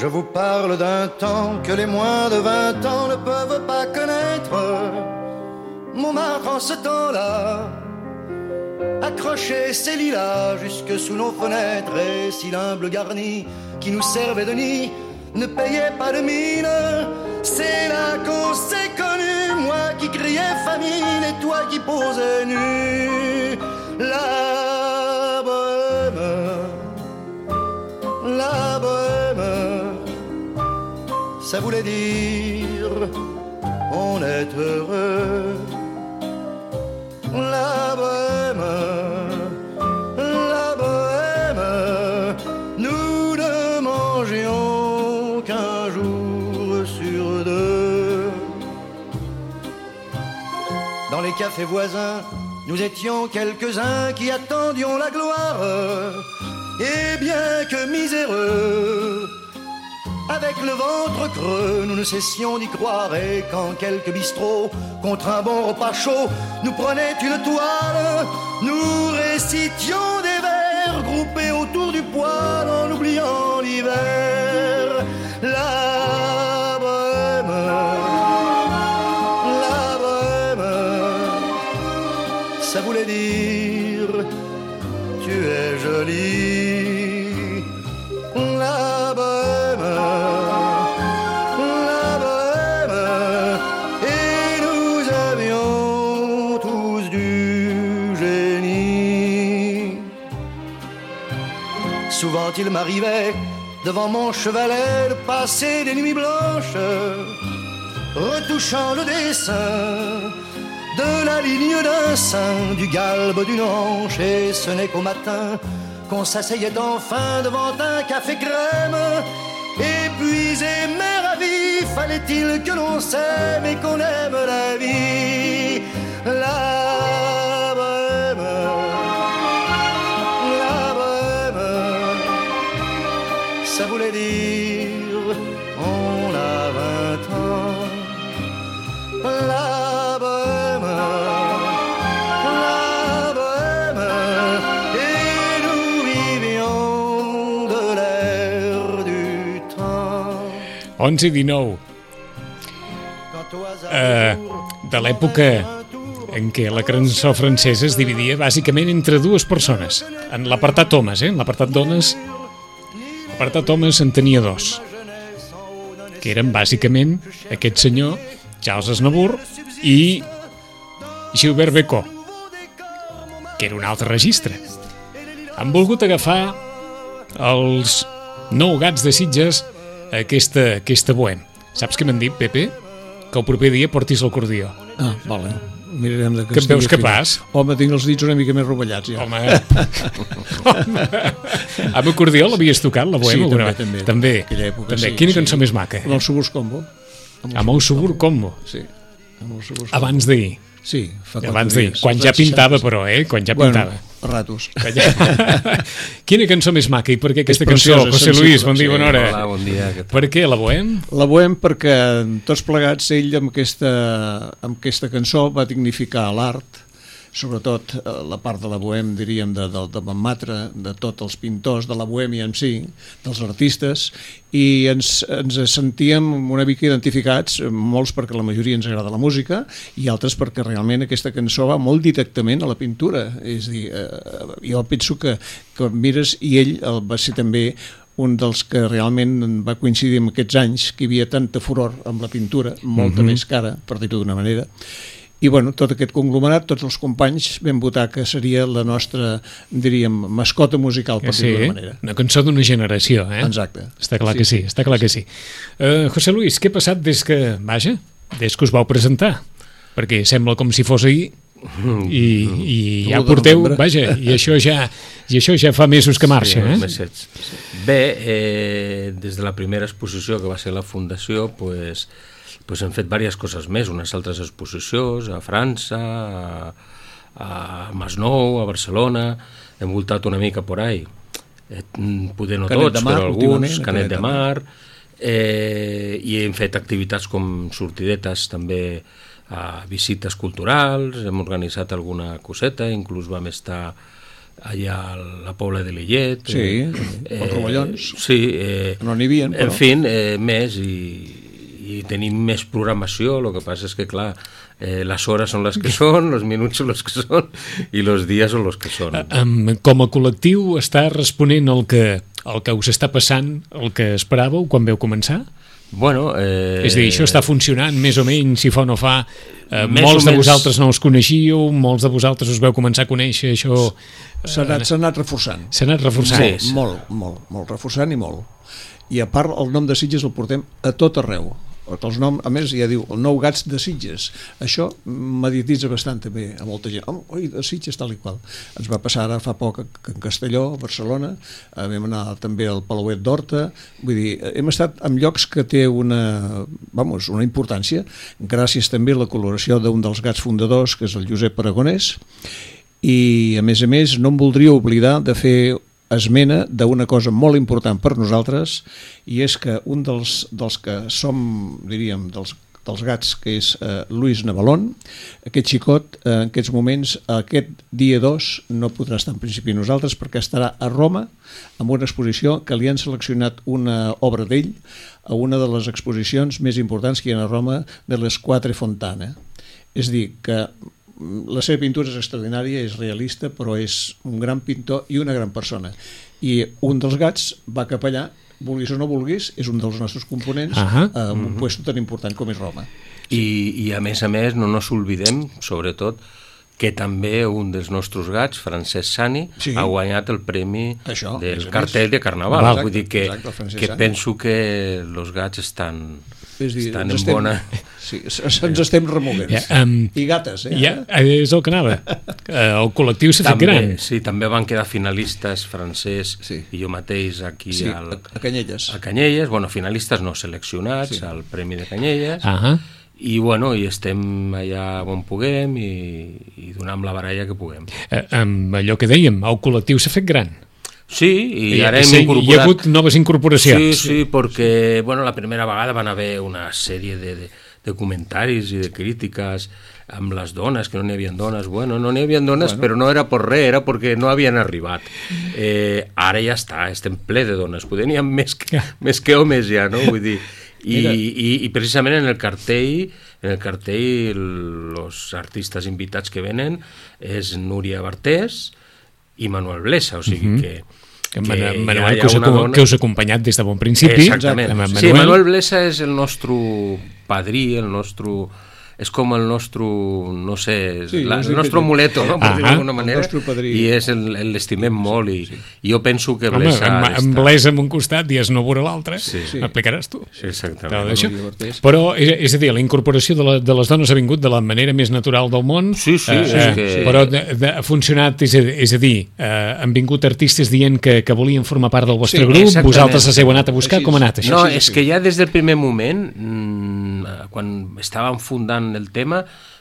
Je vous parle d'un temps que les moins de 20 ans ne peuvent pas connaître. Montmartre en ce temps-là accrochait ses lilas jusque sous nos fenêtres, et si l'humble garni qui nous servait de nid ne payait pas de mine, c'est là qu'on s'est connus, moi qui criais famine et toi qui posais nu. La bohème, ça voulait dire on est heureux. La bohème, nous ne mangions qu'un jour sur deux. Dans les cafés voisins, nous étions quelques-uns qui attendions la gloire. Et bien que miséreux, avec le ventre creux, nous ne cessions d'y croire. Et quand quelques bistrots, contre un bon repas chaud, nous prenaient une toile, nous récitions des vers groupés autour du poêle en oubliant l'hiver. La bohème, ça voulait dire tu es jolie. La bohème, et nous avions tous du génie. Souvent il m'arrivait devant mon chevalet de passer des nuits blanches, retouchant le dessin de la ligne d'un sein, du galbe d'une hanche, et ce n'est qu'au matin qu'on s'asseyait enfin devant un café crème. Épuisé mais ravi, fallait-il que l'on s'aime et qu'on aime la vie. La bohème, ça voulait dire on a 20 ans. La bohème, et nous vivions de l'air du temps. 11:19 de l'època en què la cançó francesa es dividia bàsicament entre dues persones. En l'apartat homes, en l'apartat dones, l'apartat homes en tenia dos, que eren bàsicament aquest senyor Charles Aznavour i Gilbert Bécaud, que era un altre registre. Han volgut agafar els nou gats de Sitges aquesta bohem. Saps què m'han dit, Pepe? Que el proper dia portis l'acordió. Ah, vale. Mirarem de que em veus capaç? Home, tinc els dits una mica més rovellats, ja. Home. Amb acordió l'havies tocat, la bohema? Sí, també. Aquella època, també. sí. Quina cançó més maca? Amb el Suburs Combo. Amb el Subur Combo? Sí. Abans d'ahir. Sí, fa 4 abans d'ahir. dies. Quan ja pintava, però, Quan ja pintava. A ratos. Quina cançó més maca i per què aquesta cançó? José Luis, bon dia, bona hora. Hola, bon dia. Per què la bohem? La bohem perquè tots plegats ell amb aquesta cançó va dignificar l'art, sobretot la part de la bohem, diríem, de Montmartre, de tots els pintors, de la bohèmia en si, dels artistes, i ens sentíem una mica identificats, molts perquè la majoria ens agrada la música i altres perquè realment aquesta cançó va molt directament a la pintura. És a dir, jo penso que mires, i ell va ser també un dels que realment va coincidir en aquests anys que hi havia tanta furor amb la pintura, molta més cara, per dir-ho d'una manera. I bueno, tot aquest conglomerat, tots els companys vam votar que seria la nostra, diríem, mascota musical, per dir-ho d'una manera. Una cançó d'una generació, Exacte. Està clar que sí, està clar que sí. José Luis, què ha passat des que us vau presentar? Perquè sembla com si fos ahir i ja porteu, i això ja fa mesos que marxa, Bé, des de la primera exposició que va ser la Fundació, doncs hem fet diverses coses més, unes altres exposicions a França, a Masnou, a Barcelona, hem voltat una mica por ahí, poder no tots, però alguns, Canet de Mar, i hem fet activitats com sortidetes també, visites culturals, hem organitzat alguna coseta, inclús vam estar allà a la Pobla de Lillet. Sí, els rovellons. Sí. No n'hi havia, però... En fi, més, i tenim més programació, el que passa és que, clar, les hores són les que són, els minuts són els que són, i els dies són els que són. Com a col·lectiu està responent el que us està passant, el que esperàveu quan veu començar? Bueno, és a dir, això està funcionant més o menys, si fa o no fa. Molts de vosaltres no us coneixíeu, molts de vosaltres us veu començar a conèixer, això... S'ha anat reforçant. S'ha anat reforçant. Sí. Molt reforçant i molt. I a part, el nom de Sitges el portem a tot arreu. Els noms, a més, ja diu, el Nou Gats de Sitges. Això mediatitza bastant també a molta gent. Oi, de Sitges, tal i qual. Ens va passar ara fa poc en Castelló, a Barcelona, vam anar també al Palauet d'Horta, vull dir, hem estat en llocs que té una importància, gràcies també a la col·laboració d'un dels gats fundadors, que és el Josep Aragonès, i a més, no em voldria oblidar de fer esmena d'una cosa molt important per nosaltres, i és que un dels que som, diríem, dels gats, que és Luis Navalón, aquest xicot, en aquests moments, aquest dia 2, no podrà estar en principi nosaltres perquè estarà a Roma amb una exposició que li han seleccionat una obra d'ell a una de les exposicions més importants que hi ha a Roma, de les Quatre Fontane. És a dir, que la seva pintura és extraordinària, és realista, però és un gran pintor i una gran persona. I un dels gats va cap allà, vulguis o no vulguis, és un dels nostres components en un puesto tan important com és Roma. I a més, no ens oblidem, sobretot, que també un dels nostres gats, Francesc Sani, ha guanyat el premi del cartell de Carnaval. Vull dir que penso que els gats estan en bona... Sí, ens estem removent. I gates, és el que anava. El col·lectiu s'ha fet gran. Sí, també van quedar finalistes Francesc i jo mateix aquí a Canyelles. A Canyelles, finalistes no seleccionats al Premi de Canyelles, i i estem allà on puguem i donem la baralla que puguem. Amb allò que dèiem, el col·lectiu s'ha fet gran. Sí, i ara hem incorporat... Hi ha hagut noves incorporacions. Sí, perquè la primera vegada van haver una sèrie de comentaris i de crítiques amb les dones, que no n'hi havia dones. No n'hi havia dones, però no era per res, era perquè no havien arribat. Ara ja està, estem ple de dones. Poder n'hi ha més que homes ja, no? Vull dir... I precisament en el cartell els artistes invitats que venen és Núria Bartés i Manuel Blesa, o sigui que Manuel, que us ha acompanyat des de bon principi. Exactament. Sí, Manuel Blesa és el nostre padrí, és com el nostre, no sé, el nostre amuleto, no? Per dir-ho d'alguna manera, i l'estimem molt, i jo penso que Blesa... Amb Blesa en un costat i es no veurà l'altre, m'aplicaràs tu. Sí, exactament. Però, és a dir, la incorporació de les dones ha vingut de la manera més natural del món, però ha funcionat, és a dir, han vingut artistes dient que volien formar part del vostre grup, vosaltres us heu anat a buscar, com ha anat això? No, és que ja des del primer moment, quan estàvem fundant el tema,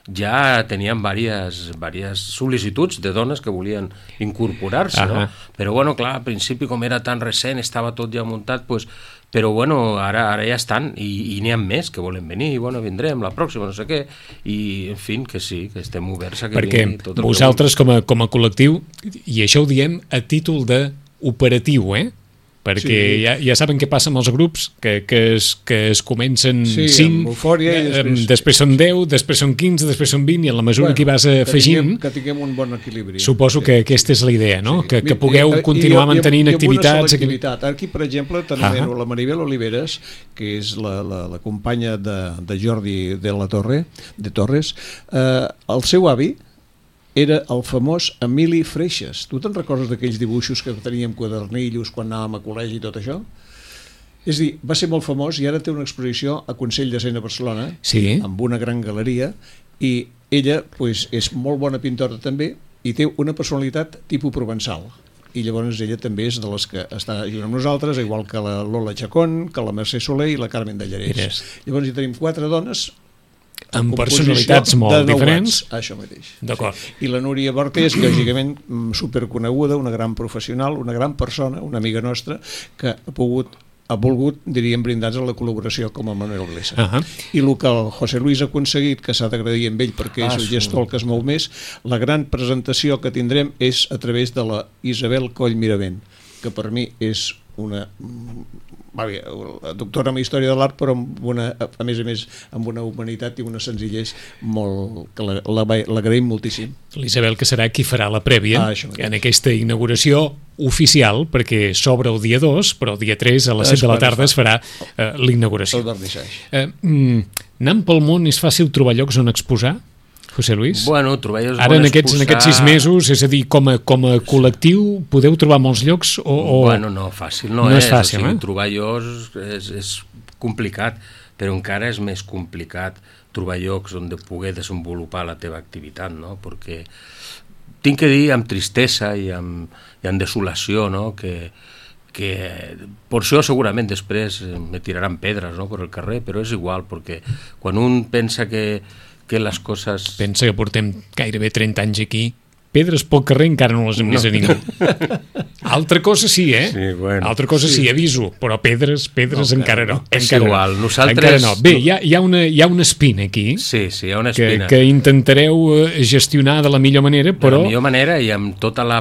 ja teníem diverses sol·licituds de dones que volien incorporar-se, no? Però clar, al principi, com era tan recent, estava tot ja muntat, però ara ja estan, i n'hi ha més que volen venir, vindrem la pròxima, no sé què, i en fi, que sí, que estem oberts a que vingui tot el que... Perquè vosaltres com a col·lectiu, i això ho diem a títol d'operatiu, perquè ja saben què passa amb els grups, que es comencen 5, després són 10, després són 15, després són 20, i en la mesura que hi vas afegint, que tinguem un bon equilibri. Suposo que aquesta és la idea, no? Que pugueu continuar mantenint activitats. Aquí, per exemple, tenim la Maribel Oliveres, que és la companya de Jordi de Torres. El seu avi era el famós Emili Freixas. Tu te'n recordes d'aquells dibuixos que teníem quadernillos quan anàvem a col·legi i tot això? És a dir, va ser molt famós i ara té una exposició a Consell de Cent a Barcelona, amb una gran galeria, i ella és molt bona pintora també i té una personalitat tipus provençal. I llavors ella també és de les que està junt amb nosaltres, igual que la Lola Chacón, que la Mercè Soler i la Carmen de Llarès. Llavors hi tenim 4 dones amb personalitats molt diferents. Això mateix. D'acord. I la Núria Bartés, lògicament superconeguda, una gran professional, una gran persona, una amiga nostra, que ha pogut ha volgut, diríem, brindar a la col·laboració com a Manuel Iglesias. I el que el José Luis ha aconseguit, que s'ha d'agrair amb ell perquè és el gestor que es mou més, la gran presentació que tindrem és a través de la Isabel Coll Miravent, que per mi és una doctora en Història de l'Art, però a més amb una humanitat i una senzillesa molt, que l'agraïm moltíssim. L'Isabel, que serà qui farà la prèvia en aquesta inauguració oficial, perquè s'obre el dia 2, però el dia 3 a les 7 de la tarda es farà l'inauguració. Anant pel món és fàcil trobar llocs on exposar, José Luis? Bueno, trobar llocs ara en aquests 6 mesos, és a dir, com a col·lectiu, podeu trobar molts llocs? Bueno, no, fàcil no és fàcil, trobar llocs és complicat, però encara és més complicat trobar llocs on poder desenvolupar la teva activitat, no? Perquè tinc que dir amb tristesa i amb desolació, no? Que per això segurament després me tiraran pedres, no? Per el carrer, però és igual, perquè quan un pensa que les coses... Pensa que portem gairebé 30 anys aquí, pedres pel carrer encara no les hem vist a ningú. Altra cosa sí, Sí, bueno. Altra cosa sí, aviso, però pedres encara no. És igual, nosaltres... Encara no. Bé, hi ha una espina aquí. Sí, hi ha una espina. Que intentareu gestionar de la millor manera, però... De la millor manera i amb tota de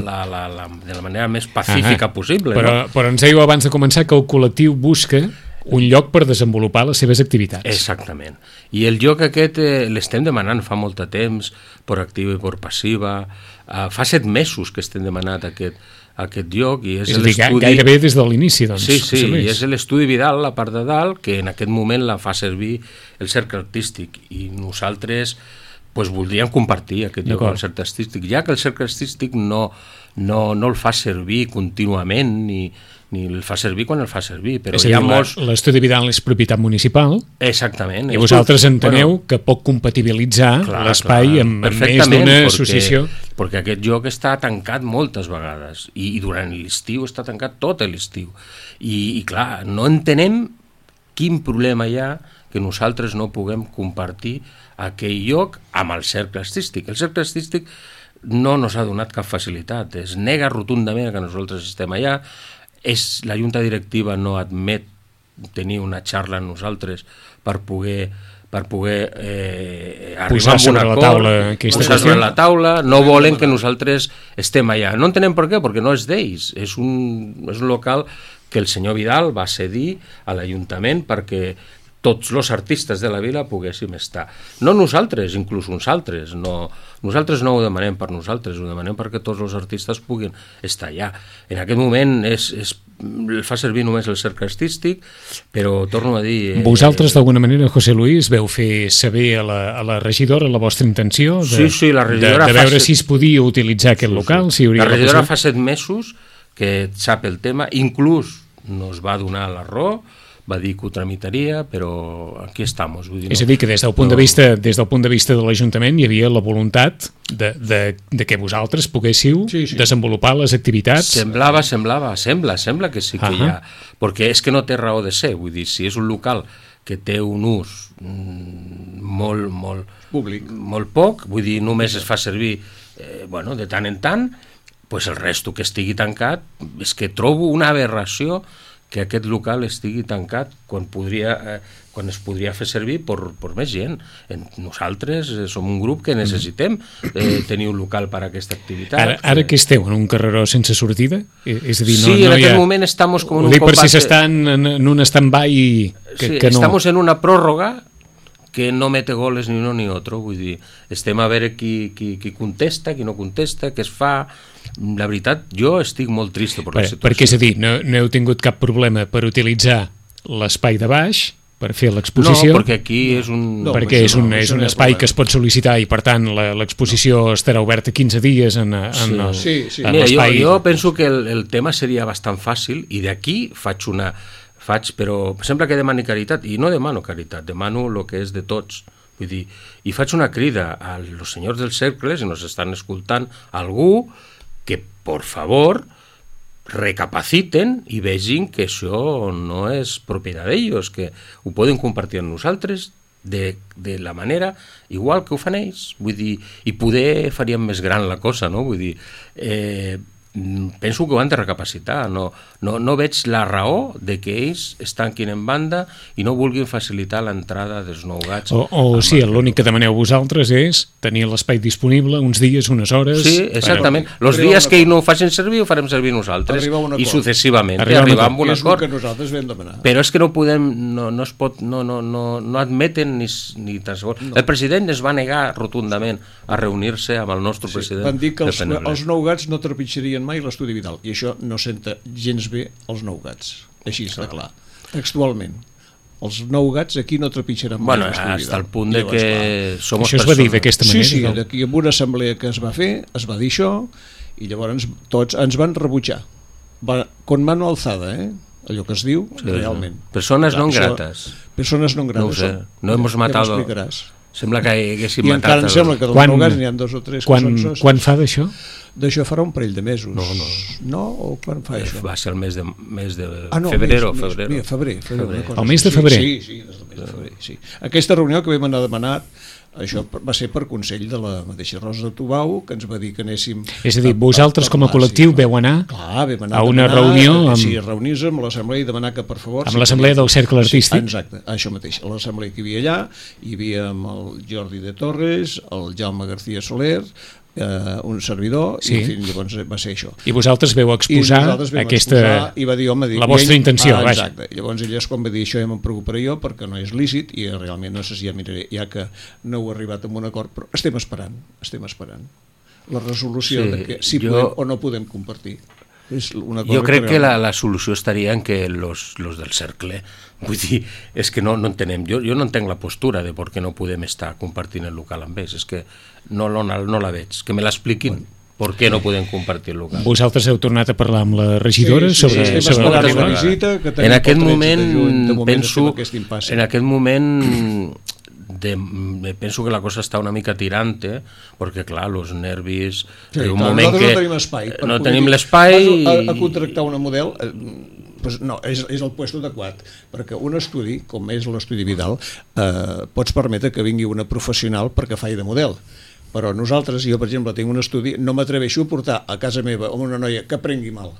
la manera més pacífica possible. Però ens dèieu abans de començar que el col·lectiu busca un lloc per desenvolupar les seves activitats. Exactament. I el lloc aquest l'estem demanant fa molt de temps, per activa i per passiva. Fa 7 mesos que estem demanant aquest lloc. I és a dir, gairebé des de l'inici, doncs. Sí, i és l'estudi Vidal, la part de dalt, que en aquest moment la fa servir el Cercle Artístic. I nosaltres voldríem compartir aquest lloc amb el Cercle Artístic, ja que el Cercle Artístic no el fa servir contínuament ni el fa servir quan el fa servir. Però és a dir, l'estudi Vidal és propietat municipal. Exactament. I vosaltres enteneu que pot compatibilitzar l'espai amb més d'una associació. Perquè aquest lloc està tancat moltes vegades i durant l'estiu està tancat tot l'estiu. I clar, no entenem quin problema hi ha que nosaltres no puguem compartir aquell lloc amb el Cercle Artístic. El Cercle Artístic no ens ha donat cap facilitat, es nega rotundament que nosaltres estem allà. La junta directiva no admet tenir una xarra amb nosaltres per poder arribar a un acord, posar sobre la taula, no volen que nosaltres estem allà. No entenem per què, perquè no és d'ells, és un local que el senyor Vidal va cedir a l'Ajuntament perquè tots els artistes de la vila poguéssim estar. No nosaltres, inclús uns altres. Nosaltres no ho demanem per nosaltres, ho demanem perquè tots els artistes puguin estar allà. En aquest moment fa servir només el Cercle Artístic, però torno a dir... Vosaltres, d'alguna manera, José Luis, veu fer saber a la regidora la vostra intenció de veure si es podia utilitzar aquest local? La regidora fa 7 mesos que sap el tema, inclús nos va donar la raó, va dir que ho tramitaria, però aquí estem. És a dir, que des del punt de vista de l'Ajuntament hi havia la voluntat de que vosaltres poguéssiu desenvolupar les activitats. Sembla que sí que hi ha, perquè és que no té raó de ser, vull dir, si és un local que té un ús molt públic, molt poc, vull dir, només es fa servir de tant en tant, doncs el resto que estigui tancat, és que trobo una aberració que aquest local estigui tancat quan es podria fer servir per més gent. Nosaltres som un grup que necessitem tenir un local per a aquesta activitat. Ara que esteu en un carreró sense sortida? És a dir, sí, en aquest moment estem com en un combat... per si s'estan en un stand-by que no... Estamos en una pròrroga que no mete goles ni uno ni otro, vull dir, estem a veure qui contesta, qui no contesta, què es fa. La veritat, jo estic molt trist per la situació. Perquè, és a dir, no heu tingut cap problema per utilitzar l'espai de baix per fer l'exposició? No, perquè aquí és un... perquè és un espai que es pot sol·licitar i, per tant, l'exposició estarà oberta 15 dies en l'espai. Jo penso que el tema seria bastant fàcil i d'aquí però sembla que demani caritat, i no demano caritat, demano el que és de tots. Vull dir, i faig una crida als senyors del cercle, si nos estan escoltant, algú que, por favor, recapaciten i vegin que això no és propietat d'ells, que ho poden compartir amb nosaltres de la manera igual que ho fan ells. Vull dir, i poder faríem més gran la cosa, no? Vull dir, penso que ho han de recapacitar. No veig la raó de que ells es tanquin en banda i no vulguin facilitar l'entrada dels nougats. O sí, l'únic que demaneu vosaltres és tenir l'espai disponible uns dies, unes hores... Sí, exactament. Els dies que ells no ho facin servir, ho farem servir nosaltres. I successivament. Arribar a un acord. Que nosaltres vam demanar. Però és que no podem, no es pot, no admeten ni tan segon. El president es va negar rotundament a reunir-se amb el nostre president. Van dir que els nougats no trepitjarien mai l'estudi Vidal, i això no senta gens bé els nougats, així està clar, textualment. Els nougats aquí no trepitjaran mai l'estudi Vidal. Hasta el punt de que som això es va dir d'aquesta manera. Sí, d'aquí en una assemblea que es va fer, es va dir això, i llavors tots ens van rebutjar. Con mano alzada, allò que es diu, realment. Persones non grates. Persones non grates. No ho sé, no hemos matado... Ja m'explicaràs. Sembla que haguéssim matat... I encara em sembla que dels nougats n'hi ha 2 o 3 que són socis. Quan fa d'això? D'això farà un parell de mesos. No? O quan fa això? Va ser el mes de febrer. El mes de febrer? Sí, des del mes de febrer, sí. Aquesta reunió que vam anar a demanar, això va ser per consell de la mateixa Rosa de Tubau, que ens va dir que anéssim... És a dir, vosaltres com a col·lectiu veu anar a una reunió... Sí, reunir-nos amb l'assemblea i demanar que, per favor... Amb l'assemblea del Cercle Artístic? Exacte, això mateix. A l'assemblea que hi havia allà, hi havia el Jordi de Torres, el Jaume García Soler, un servidor, i llavors va ser això. I vosaltres veu exposar aquesta... I va dir, home... La vostra intenció, vaja. Exacte. Llavors ella quan va dir això ja me'n preocuparé jo perquè no és lícit i realment no sé si ja miraré, ja que no heu arribat a un acord, però estem esperant la resolució de que si podem o no podem compartir. Jo crec que la solució estaria en que los del cercle, vull dir, és que no entenem, jo no entenc la postura de per què no podem estar compartint el local amb ells, és que no la veig, que me l'expliquin. Per què no podem compartir el local? Vosaltres heu tornat a parlar amb la regidora sobre la visita que tenim en aquest moment penso penso que la cosa està una mica tirante perquè clar, els nervis un moment que no tenim l'espai a contractar una model pues no, és el puesto adequat perquè un estudi, com és l'estudi Vidal pots permetre que vingui una professional perquè faci de model, però nosaltres, jo per exemple tinc un estudi, no m'atreveixo a portar a casa meva amb una noia que prengui mal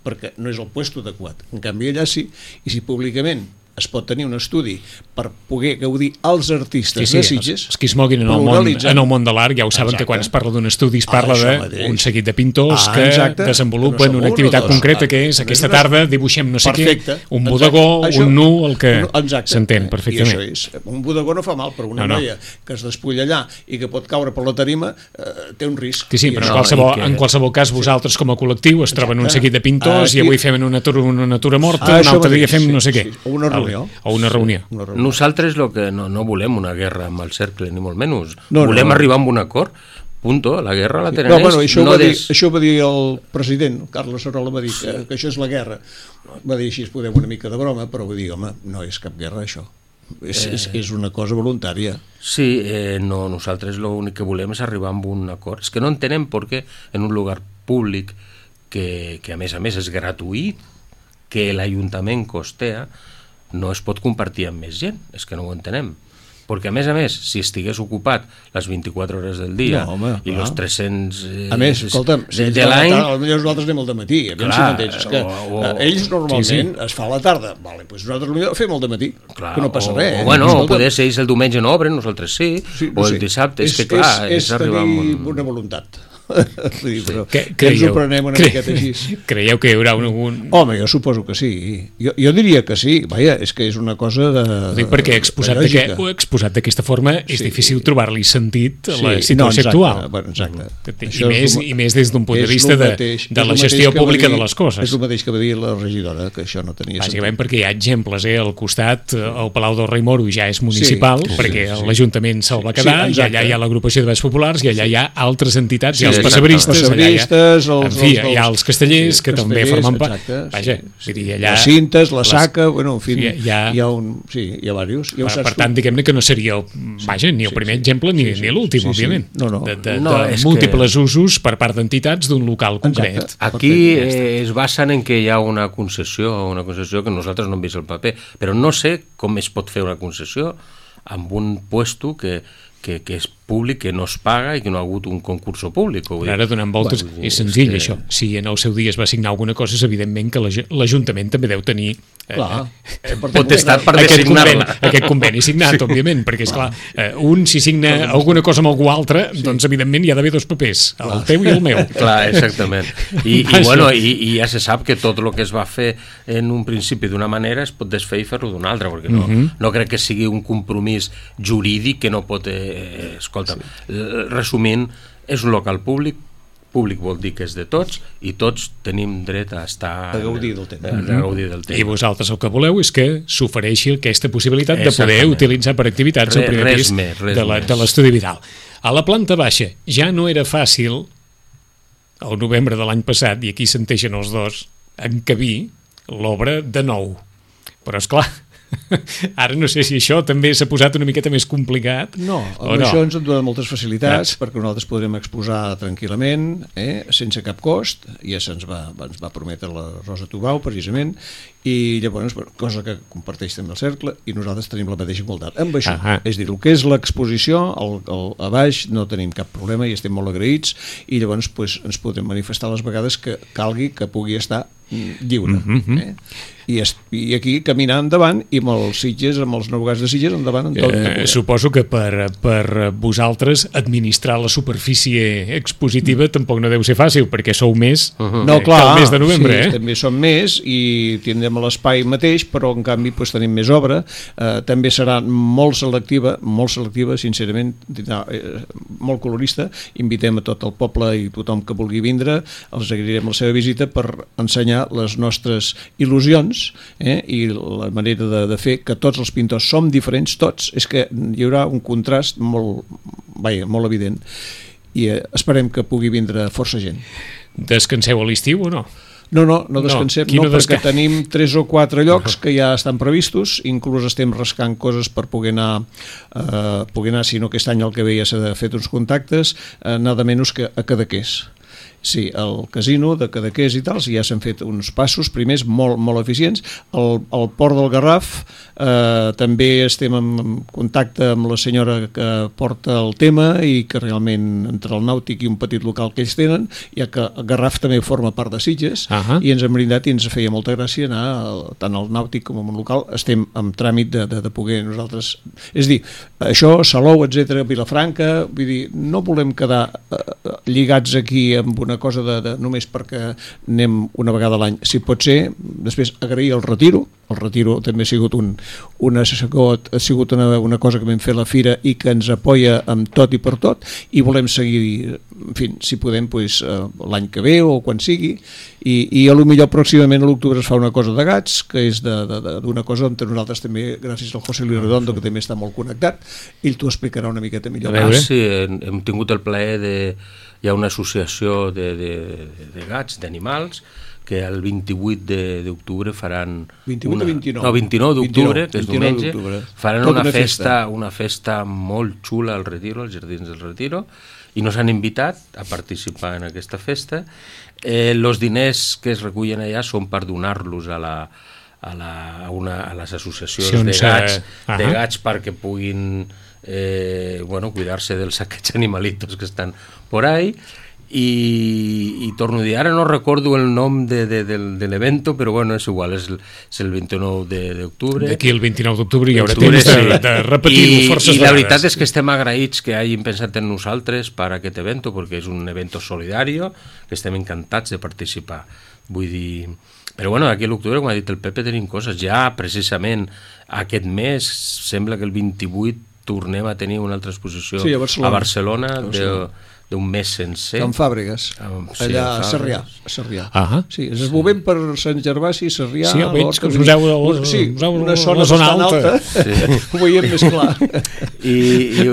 perquè no és el puesto adequat, en canvi allà sí, i si públicament es pot tenir un estudi per poder gaudir els artistes de Sitges. Els que es moguin en el món de l'art ja ho saben que quan es parla d'un estudi es parla d'un seguit de pintors que desenvolupen una activitat concreta que és aquesta tarda dibuixem no sé què, un bodegó, un nu, el que s'entén perfectament. I això és, un bodegó no fa mal, però una noia que es despulla allà i que pot caure per la tarima té un risc. Sí, però en qualsevol cas vosaltres com a col·lectiu es troben un seguit de pintors i avui fem una natura morta, un altre dia fem no sé què. O una reunió. Nosaltres no volem una guerra amb el cercle, ni molt menys. Volem arribar a un acord. Punto, la guerra la tenen ells. Això va dir el president, Carles Sarola va dir que això és la guerra. Va dir així, es podem una mica de broma, però va dir, home, no és cap guerra això. És una cosa voluntària. Sí, nosaltres l'únic que volem és arribar a un acord. És que no entenem per què en un lugar públic que a més és gratuït, que l'Ajuntament costea, no es pot compartir amb més gent, és que no ho entenem. Perquè a més, si estigués ocupat les 24 hores del dia i els 300 a més, escolta'm, de l'any... Potser nosaltres anem al dematí, ells normalment es fa a la tarda, doncs nosaltres fem al dematí, que no passa res. O poder ser ells el diumenge no obren, nosaltres sí, o el dissabte, és que clar... És tenir una voluntat. Creieu que hi haurà un... Home, jo suposo que sí. Jo diria que sí. Vaja, és que és una cosa de... Dic perquè exposat d'aquesta forma és difícil trobar-li sentit a la situació actual. Exacte. I més des d'un punt de vista de la gestió pública de les coses. És el mateix que va dir la regidora, que això no tenia sentit. Bàsicament perquè hi ha exemples, al costat el Palau del Rei Moro ja és municipal, perquè l'Ajuntament se'l va quedar, i allà hi ha l'agrupació de Baix Populars, i allà hi ha altres entitats, els passebristes, hi ha els castellers que també formen part. Vaja, les cintes, la saca, en fi, hi ha diversos. Per tant, diguem-ne que no seria ni el primer exemple ni l'últim, òbviament, de múltiples usos per part d'entitats d'un local concret. Aquí es basen en que hi ha una concessió que nosaltres no hem vist el paper, però no sé com es pot fer una concessió amb un puesto que és públic, que no es paga i que no ha hagut un concurs públic. Ara, donant voltes, és senzill, això. Si en el seu dia es va signar alguna cosa, és evidentment que l'Ajuntament també deu tenir potestat per designar-la. Aquest conveni signat, òbviament, perquè, esclar, un, si signa alguna cosa amb algú altre, doncs, evidentment, hi ha d'haver 2 papers, el teu i el meu. Clar, exactament. I ja se sap que tot el que es va fer en un principi d'una manera es pot desfer i fer-lo d'una altra, perquè no crec que sigui un compromís jurídic que no pot... Escolta, resumint, és un local públic vol dir que és de tots i tots tenim dret a estar... A gaudir del temps. I vosaltres el que voleu és que s'ofereixi aquesta possibilitat de poder utilitzar per activitats el primer pis de l'Estudi Vidal. A la planta baixa ja no era fàcil, al novembre de l'any passat, i aquí s'enteixen els dos, encabir l'obra de nou. Però, esclar, ara no sé si això també s'ha posat una miqueta més complicat. No, això ens dona moltes facilitats perquè nosaltres podrem exposar tranquil·lament, sense cap cost. Ja ens va prometre la Rosa Tubau, precisament, i llavors, cosa que comparteix també el cercle, i nosaltres tenim la mateixa igualtat. Amb això, és a dir, el que és l'exposició, a baix no tenim cap problema i estem molt agraïts, i llavors ens podem manifestar les vegades que calgui que pugui estar lliure. I aquí caminar endavant i amb els Sitges, amb els navegants de Sitges endavant en tot. Suposo que per vosaltres administrar la superfície expositiva tampoc no deu ser fàcil, perquè sou més que el mes de novembre. Sí, també som més i tindrem l'espai mateix, però en canvi tenim més obra. També serà molt selectiva, sincerament, molt colorista. Invitem a tot el poble i tothom que vulgui vindre, els agrairem la seva visita per ensenyar les nostres il·lusions i la manera de fer, que tots els pintors som diferents, tots. És que hi haurà un contrast molt evident i esperem que pugui vindre força gent. Descanseu a l'estiu o no? No descansem, perquè tenim 3 o 4 llocs que ja estan previstos, inclús estem rascant coses per poder anar, si no aquest any el que ve ja s'ha fet uns contactes, nada menys que a Cadaqués. Sí, el casino de Cadaqués i tal, ja s'han fet uns passos primers molt, molt eficients. El Port del Garraf també estem en contacte amb la senyora que porta el tema i que realment entre el nàutic i un petit local que ells tenen, ja que el Garraf també forma part de Sitges, i ens hem brindat i ens feia molta gràcia anar tant al nàutic com al local. Estem en tràmit de poder nosaltres, és dir, això, Salou, etc, Vilafranca, vull dir, no volem quedar lligats aquí amb una cosa només perquè anem una vegada a l'any. Si pot ser, després agrair el retiro també ha sigut una cosa que vam fer a la fira i que ens apoya amb tot i per tot, i volem seguir, en fi, si podem, l'any que ve o quan sigui, i a lo millor pròximament a l'octubre es fa una cosa de gats, que és d'una cosa on nosaltres també, gràcies al José Luis Redondo, que també està molt connectat, ell t'ho explicarà una miqueta millor. Sí, hem tingut el plaer de... Hi ha una associació de gats, d'animals, que el 28 d'octubre faran... 28 o 29? No, 29 d'octubre, que és diumenge, faran una festa molt xula al Retiro, als Jardins del Retiro, i nos han invitat a participar en aquesta festa. Els diners que es recullen allà són per donar-los a les associacions de gats perquè puguin cuidar-se dels aquests animalitos que estan por ahí, i torno a dir, ara no recordo el nom de l'evento, però bueno, és igual, és el 29 d'octubre. D'aquí el 29 d'octubre hi haurà temps de repetir-ho forces vegades. I la veritat és que estem agraïts que hagin pensat en nosaltres per a aquest evento, perquè és un evento solidari, que estem encantats de participar. Vull dir... Però bueno, aquí a l'octubre, com ha dit el Pepe, tenim coses. Ja precisament aquest mes, sembla que el 28 tornem a tenir una altra exposició a Barcelona d'un mes sencer. En Fàbregues, allà a Sarrià. Sí, ens movem per Sant Gervasi, Sarrià... Sí, veig que us useu una zona alta. Ho veiem més clar.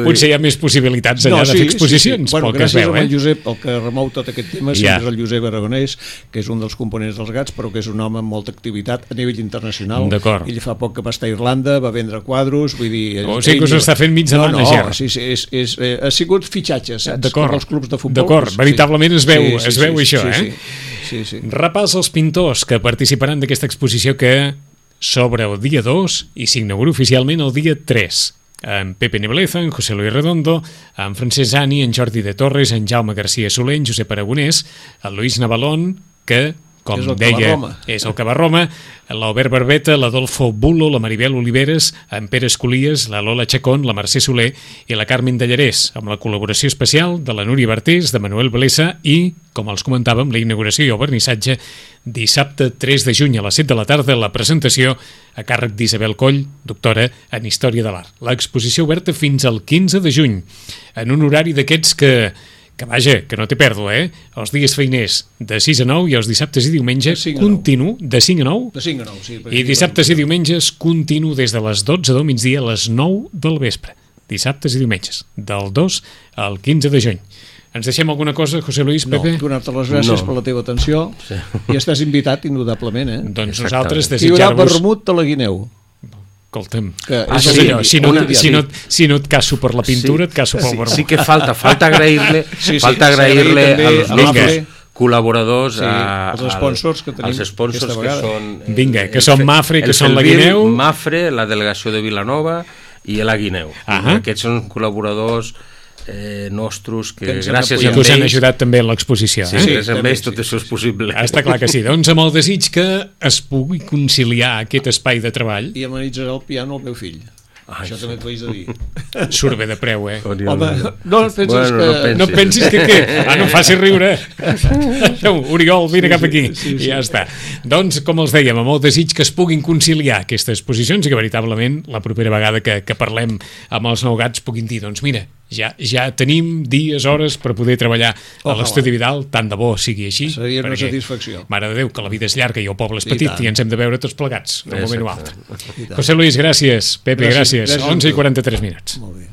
Potser hi ha més possibilitats allà de fer exposicions, pel que es veu. Gràcies al Josep, el que remou tot aquest tema, és el Josep Aragonès, que és un dels components dels gats, però que és un home amb molta activitat a nivell internacional. Ell fa poc que va estar a Irlanda, va vendre quadros, vull dir... O sigui que us està fent mig de manager. No, ha sigut fitxatges, saps? Clubs de futbol. D'acord, veritablement es veu això, Sí. Repàs els pintors que participaran d'aquesta exposició que s'obre el dia 2 i s'inaugura oficialment el dia 3. en Pepe Nebleza, en José Luis Redondo, en Francesc Ani, en Jordi de Torres, en Jaume García Soler, en Josep Aragonès, el Luis Navalón, que, com deia, és el que va a Roma, l'Albert Barbeta, l'Adolfo Bulo, la Maribel Oliveres, en Pere Escolies, la Lola Chacón, la Mercè Soler i la Carmen Dallarès, amb la col·laboració especial de la Núria Bartés, de Manuel Blesa i, com els comentàvem, la inauguració i el vernissatge dissabte 3 de juny a les 7 de la tarda, la presentació a càrrec d'Isabel Coll, doctora en Història de l'Art. L'exposició oberta fins al 15 de juny, en un horari d'aquests que vaja, que no té pèrdua, Els dies feiners de 6 a 9 i els dissabtes i diumenges continu, de 5 a 9? De 5 a 9, sí. I dissabtes i diumenges continu des de les 12 del migdia a les 9 del vespre. Dissabtes i diumenges, del 2 al 15 de juny. Ens deixem alguna cosa, José Luis, Pepe? No, donar-te les gràcies per la teva atenció i estàs invitat indudablement, Doncs nosaltres desitjar-vos... Hi haurà vermut de la Guineu. Escolta'm, sí, allò, si no et caso per la pintura, et caso pel vermut. Sí que falta agrair-li als nostres col·laboradors, els sponsors que tenim, que són... Vinga, que són Mafre, que són la Guineu... Mafre, la delegació de Vilanova i la Guineu. Aquests són col·laboradors nostres que gràcies a ells... que us han ajudat també en l'exposició. Sí, gràcies a ells tot això és possible. Està clar que sí. Doncs amb el desig que es pugui conciliar aquest espai de treball... I amenitzarà el piano al meu fill. Això també t'ho haig de dir. Surt bé de preu, Home, no pensis que... No pensis que què? No em facis riure. Oriol, vine cap aquí. I ja està. Doncs, com els dèiem, amb el desig que es puguin conciliar aquestes exposicions i que veritablement la propera vegada que parlem amb els nou gats puguin dir, doncs mira, ja tenim dies, hores per poder treballar a l'Estudi Vidal, tant de bo sigui així. Seria una satisfacció. Mare de Déu, que la vida és llarga i el poble és petit i ens hem de veure tots plegats, un moment o altre. José Luis, gràcies. Pepe, gràcies. 11:43. Molt bé.